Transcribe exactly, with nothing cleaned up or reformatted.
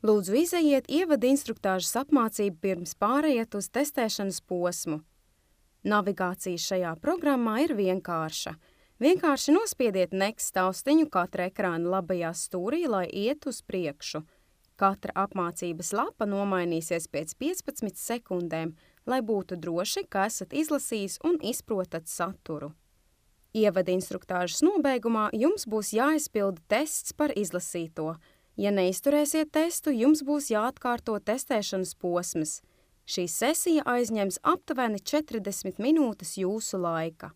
Lūdzu, izejiet ievada instruktāžas apmācību pirms pārejiet uz testēšanas posmu. Navigācija šajā programmā ir vienkārša. Vienkārši nospiediet next taustiņu katra ekrāna labajā stūrī, lai iet uz priekšu. Katra apmācības lapa nomainīsies pēc piecpadsmit sekundēm, lai būtu droši, ka esat izlasījis un izprotat saturu. Ievada instruktāžas nobeigumā jums būs jāizpilda tests par izlasīto. Ja neizturēsiet testu, jums būs jāatkārto testēšanas posms. Šī sesija aizņems aptuveni četrdesmit minūtes jūsu laika.